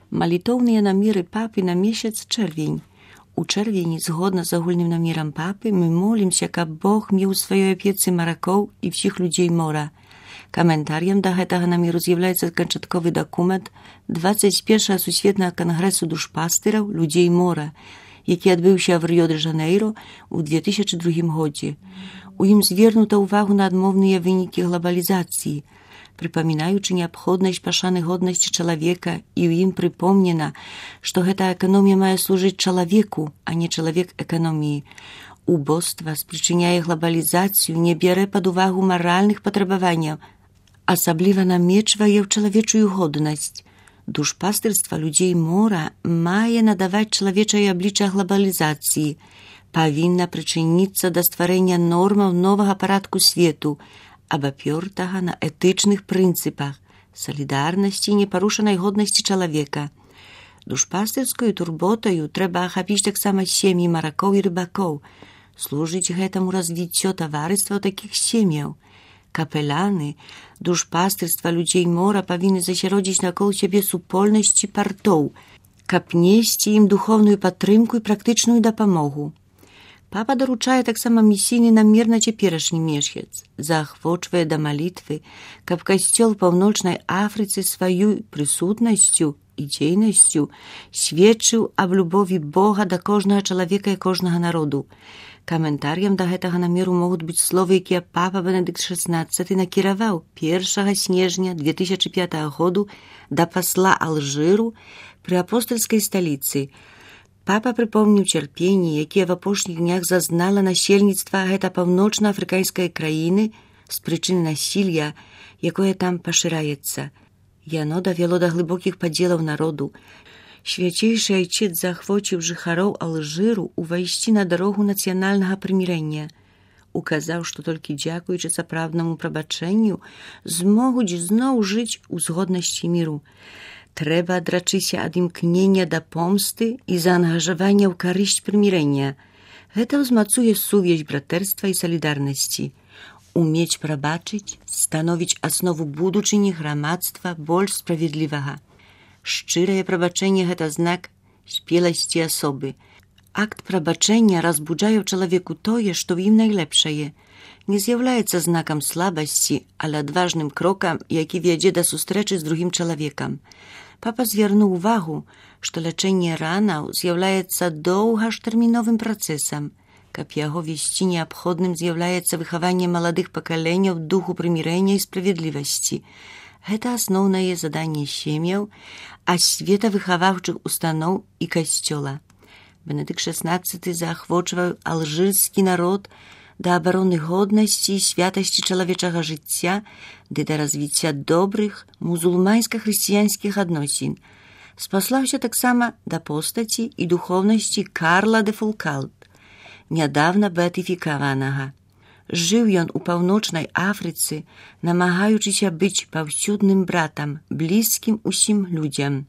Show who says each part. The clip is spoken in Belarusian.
Speaker 1: Малітоўныя намеры папы на месяц чэрвень. У чэрвені, згодна з агульным намерам папы, мы молімся, каб Бог меў у сваёй апецы маракоў і ўсіх людзей мора. Каментарыем да гэтага намеру з'яўляецца канчатковы дакумент 21-го Сусветнага кангрэсу душпастыраў людзей мора, які адбыўся в Рыё-дэ-Жанейро ў 2002 годзе. У ім звернута ўвагу на адмоўныя вынікі глобалізацыі, прыпамінаючы неабходнасць пашаны годнасці чалавека, і ў ім прыпомнена, што гэта эканомія мае служыць чалавеку, а не чалавек эканоміі. Убоства спрычыняе глобалізацыю, не бярэ пад увагу маральных патрабаванняў, асабліва намечвае ў чалавечую годнасць. Душпастырства людзей мора мае надаваць чалавечае аблічча глобалізацыі, павінна прычыніцца да стварэння нормаў новага парадку свету, абапёртага на этычных прынцыпах, салідарнасці і непарушанай годнасці чалавека. Душпастырскую турботаю трэба ахапіць таксама сем'і маракоў і рыбакоў, служыць гэтаму развіццё таварыства такіх сем'яў. Капеляны душпастырства людзей мора павінны засяродзіць накол сябе супольнасці партоў, каб несці ім духоўную падтрымку і практычную дапамогу. Папа даручае таксама місійны намер на цяперашні месяц, заахвочвае да малітвы, каб касцёл паўночнай Афрыцы сваёй прысутнасцю і дзейнасцю сведчыў аб любові Бога да кожнага чалавека і кожнага народу. Каментарыем да гэтага намеру могуць быць словы, якія папа Бенедыкт XVI накіраваў 1 снежня 2005 году да пасла Алжыру пры апостальскай сталіцы. Папа прыпомніў цярпенні, якія в апошніх днях зазнала насельніцтва гэта паўночна-афрыканскай краіны з прычыны насілля, якое там пашыраецца. Яно давяло да глыбокіх падзелаў народу. Свяцейшы айчыц заахвоціў жыхароў Алжыру увайсці на дарогу нацыянальнага прымірэння. Указаў, што толькі дзякуючы сапраўднаму прабачэнню змогуць зноў жыць у згоднасці міру. Трэба адрачыся ад імкнення да помсты і заангажавання ў карысць прымірэння. Гэта ўзмацуе сувязь братэрства і салідарнасці. Умець прабачыць становіць аснову будучыні грамадства больш справедлівага. Шчырае прабачэнне – гэта знак спеласці асобы. Акт прабачэння разбуджае ў чалавеку тое, што ў ім найлепшае. Не з'яўляецца знакам слабасці, але адважным крокам, які вядзе да сустрэчы з другім чалавекам. Папа звярнуў увагу, што лячэнне ранаў з'яўляецца доўгатэрміновым працэсам. Каб яго весці, неабходным з'яўляецца выхаванне маладых пакаленняў духу прымірэння і справедлівасці. Гэта асноўнае заданне сем'яў, асветавыхаваўчых устаноў і касцёла. Бенедыкт XVI заахвочваў алжырскі народ да абароны годнасці і святасці чалавечага жыцця ды да развіцця добрых мусульманска-хрысціянскіх адносін. Спаслаўся таксама да постаці і духоўнасці Карла де Фулкалт, нядаўна беатыфікаванага. Жыў ён у паўночнай Афрыцы, намагаючыся быць паўсюдным братам, блізкім усім людзям.